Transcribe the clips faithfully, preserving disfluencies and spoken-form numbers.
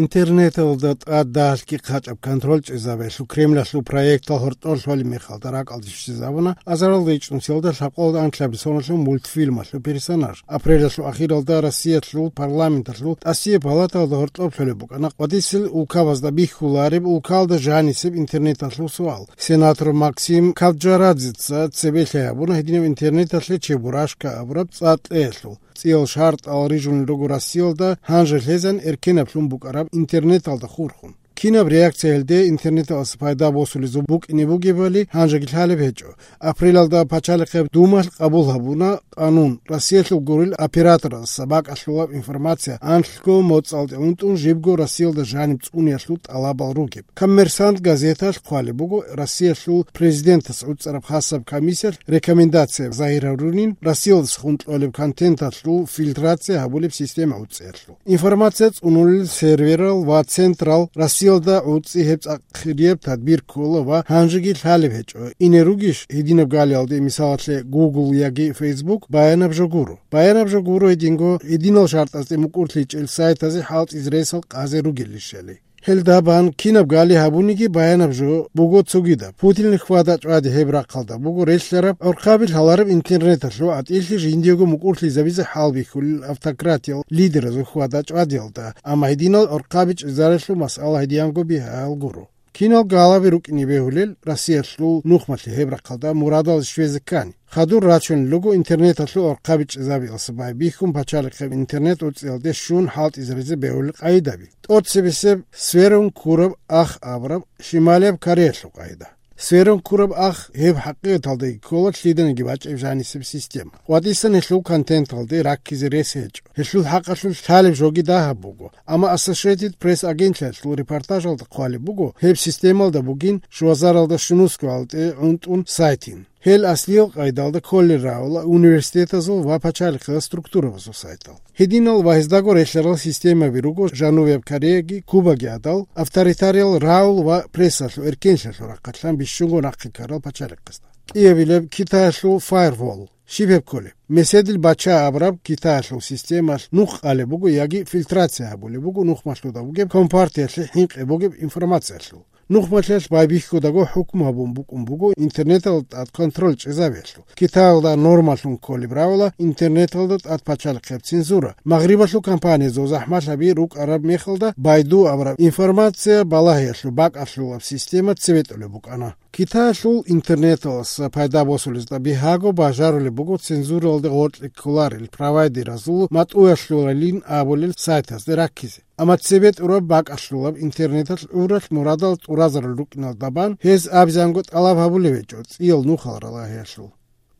Интернеталда тӀад дагьалъги хъачӀаб контроль чӀезабиялъул Кремлалъул проектал гьоркьор лъолеб мехалда ракӀалде щвезабуна азаралда ичӀнусиялда лъабкъоялда анлъабилеб соналъул мультфильмалъул персонаж. Апрелалъул ахиралда Россиялъул парламенталъул тӀасияб палаталда гьоркьоб лъолеб букӀана къватӀисел улкабазда бихьулареб улкалда жанисеб интернеталъул суал. Сенатор Максим Кавджарадзеца цебе лъай гьабуна гьединаб интернеталъе Чебурашка абураб цӀа кьеялъул. ЦӀиял шартӀал рижунел руго Россиялда гьанже лъезан эркенаблъун букӀараб интернеталда хурхун. Кинаб реакция гьелде интернеталъ пайда босулезул букӀине бугебали гьанжеги лъалеб гьечӀо. Апрелалда Пачалихъеб Думалъ къабул гьабуна къанун, Россиялъул гурел операторалдаса бакӀалъулаб информация анлъго моцӀалде унтӀун жибго Россиялда жаниб цӀуниялъул тӀалабал ругеб. «Коммерсант» газеталъ хъвалеб буго, Россиялъул президентас гӀуцӀараб хасаб комиссиялъ рекомендация загьир гьарунин Россиялдаса хун кьолеб контенталъул фильтрация гьабулеб система гӀуцӀиялъул. Информация цӀунулел серверал ва централ Россиялда гӀуцӀи гьеб цӀакъ хирияб тадбир ккола ва гьанжеги лъалеб гьечӀо. Ине ругищ гьединаб галиялде, мисалалъе, Google яги Facebook, баянаб жо гуро. Баянаб жо гуро гьединго, гьединал шартӀазде мукӀурлъичӀел сайтазе хӀалтӀизе ресал къазе ругелищали. Гьелда бан кинаб гали гьабуниги баянаб жо буго цогидаб. Путинил хьвада-чӀвади гьеб рахъалда буго релълъараб гӀорхъаби лъалареб интернеталъул гӀатӀилъи жиндиего мукӀурлъизабизе хӀалбихьулел автократиял лидеразул хьвада-чӀвадиялда, амма гьединал гӀорхъаби чӀезарелъул масъала гьедиянго бигьаял гуро. Кинал галаби рукӀине бегьулел Россиялъул нухмалъе гьеб рахъалда мурадал щвезе ккани. Хадур рачунел руго интернеталъул гӀорхъаби чӀезабиялъа байбихьун пачалихъеб интернет гӀуцӀиялде щун хӀалтӀизаризе бегьулел къайдаби. ТӀоцебесеб сверун ккураб ах абураб Шималияб Кореялъул къайда. Сверун ккураб ах гьеб хӀакъикъаталдаги ккола лъиданиги бачӀеб жанисеб система. КъватӀисан гьелъул контенталде раккизе рес гьечӀо. Гьелъул хӀакъалъулъ лъалеб жоги дагьаб буго. Амма Associated Press агентлъиялъул репортажалда хъвалеб буго, гьеб системалда бугин шуазаралда щунусго гьалтӀе гӀунтӀун сайтин. Гьел аслиял къайдалда кколел равала университетазул ва пачалихъал структурабазул сайтал. Гьединал ва гьездаго релълъарал системаби руго Жанубияб Кореяги, Кубаги гӀадал, авторитариял рагӀул ва прессалъул эркенлъиялъул рахъалъан бищунго нахъе ккарал пачалихъазда. КӀиабилеб Китаялъул firewall. Щиб гьеб кколеб? Меседил бача абураб Китаялъул системалъ нух къалеб буго яги фильтрация гьабулеб буго нухмалъуда бугеб компартиялъе хӀинкъи бугеб информациялъул. Нухмалъиялъ байбихьудаго хӀукму гьабун букӀун буго интернеталда тӀад контроль чӀезабиялъул. Китаялда нормалъун кколеб равала интернеталда тӀад пачалихъеб цензура. Магърибалъул компаниязул захӀмалъаби рукӀараб мехалда Байду абураб информация балагьиялъул бакӀалъулаб система цебетӀулеб букӀана. Китаялъул интернеталъ пайда босулезда бигьаго бажарулеб буго цензуралде гъоркье кколарел провайдеразул матӀуялъулалин абулел сайтазде раккизе. Амма цебетӀураб бакӀалъулаб интернеталъ гӀуралъ мурадал тӀуразарал рукӀиналда бан гьез абизанго тӀалаб гьабулеб гьечӀо цӀиял нухал ралагьиялъул.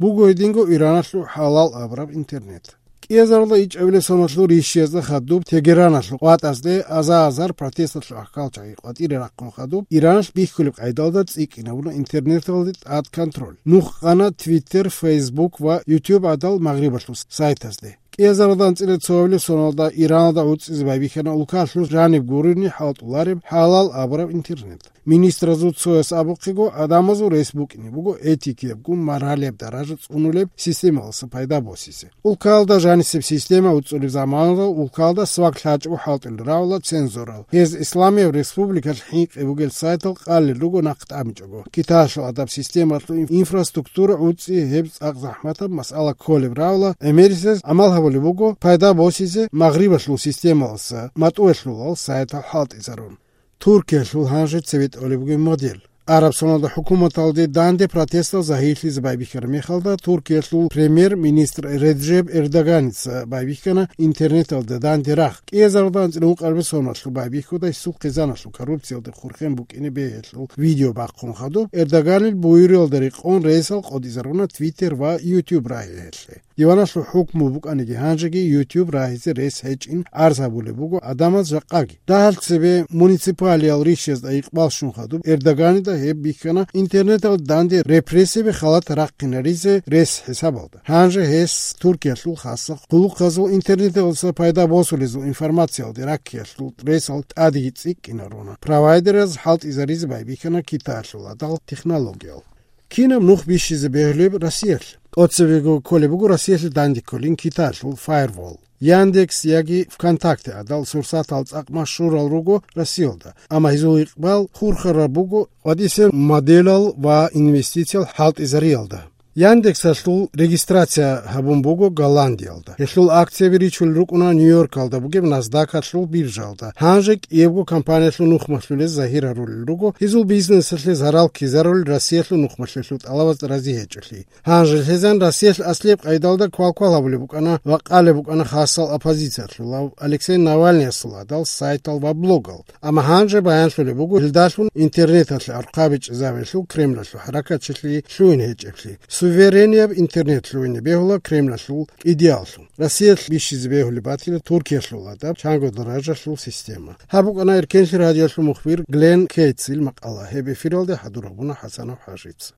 Буго гьединго Ираналъул хӀалал абураб интернет. КӀиазаралда ичӀабилеб соналъул рищиязда хадуб Тегераналъул къватӀазде аза-азар протесталъул ахӀкалчагӀи къватӀире рахъун хадуб Ираналъ бихьулеб къайдалда цӀикӀкӀинабуна интернеталде тӀад контроль. Нух къана Twitter, Facebook ва YouTube гӀадал Магърибалъул сайтазде. КӀиазаралда анцӀила цоабилеб соналда Ираналда гӀуцӀизе байбихьана улкалъул жаниб гурони хӀалтӀулареб хӀалал абураб интернет. Министразул цояс абухъего, гӀадамазул рес букӀине буго этикиябгун маргьалияб даража цӀунулеб системалъа пайда босизе. Улкалда жанисеб система уцӀулеб заманалда улкалда свак лъачӀого хӀалтӀулел равала цензурал. Гьез Исламияб республикалъ хӀинкъи бугел сайтал къалел руго нахъ тӀамичӀого. Китаялъул гӀадаб системалъул инфраструктура гӀуцӀи гьеб цӀакъ захӀматаб масъала кколеб равала, гӀемерисез гӀамал гьабулеб буго пайда босизе Магърибалъул системалъа матӀуялъулал сайтал хӀалтӀизарун. Туркиялъул гьанже цебетӀолеб бугеб модель. Араб соналда хӀукуматалде данде протестал загьирлъизе байбихьараб мехалда, Туркиялъул премьер-министр Реджеп Эрдоганица байбихьана интернеталда данде рагъ. КӀиазаралда анцӀила ункъабилеб соналъул байбихьуда гьесул хъизаналъул коррупциялде хурхен букӀине бегьулел видео бахъун хадуб, Эрдоганил буюриялда рекъон ресал къотӀизаруна Twitter ва YouTube рагьи гьелъе. Диваналъул хӀукму букӀаниги гьанжеги YouTube рагьизе рес гьечӀин гӀарз гьабулеб буго гӀадамаз жакъаги. Дагьал цебе муниципалиял рищазда икъбал щун хадуб Эрдоганида гьеб бихьана интернетал данде репрессияби халат рахъинаризе рес хӀисабалда. Гьанже гьес Туркиялъул хасахъ хъулухъазул интернеталъа пайда босулезул информациялде раккиялъул ресал тӀадеги цӀикӀкӀинаруна. Провайдераз хӀалтӀизаризе байбихьана Китаялъул гӀадал технологиял. Кинаб нух бищизе бегьулеб Россиялъ? ТӀоцебего кколеб буго Россиялъе данде кколин Китаялъул firewall. Яндекс яги ВКонтакте гӀадал сурсатал цӀакъ машгьурал руго Россиялда, амма гьезул икъбал хурхараб буго къватӀисел моделал ва инвестициял хӀалтӀизариялда. Яндексалъул регистрация гьабун буго Голландиялда. Гьелъул акцияби ричулел рукӀуна Нью-Йоркалда бугеб Насдакалъул биржаялда. Гьанже кӀиябго компаниялъул нухмалъулез загьир гьарулел руго гьезул бизнесалъе зарал ккезарулел Россиялъул нухмалъулъул тӀалабаз рази гьечӀолъи. Гьанже лъезан Россиялъ аслияб къайдалда квалквал гьабулеб букӀана ва къалеб букӀана хасал оппозициялъулав Алексей Навальныясул гӀадал сайтал ва блогал. Амма гьанже баянлъулеб буго гьелдалъун интернеталъе архъа бичӀчӀизабиялъул Кремлалъул хӀаракатчилъи лъугьин гьечӀеблъи. Суверенияб интернет лъугьине бегьула Кремлалъул идеаллъун. Россиялъ бищизе бегьулеб батила Туркиялъул гӀадаб чанго даражалъул система. Гьаб букӀана Эркенлъи радиоялъул мухбир Глен Кейтсил макъала. Гьеб эфиралде хӀадур гьабуна ХӀасанов ХӀажица.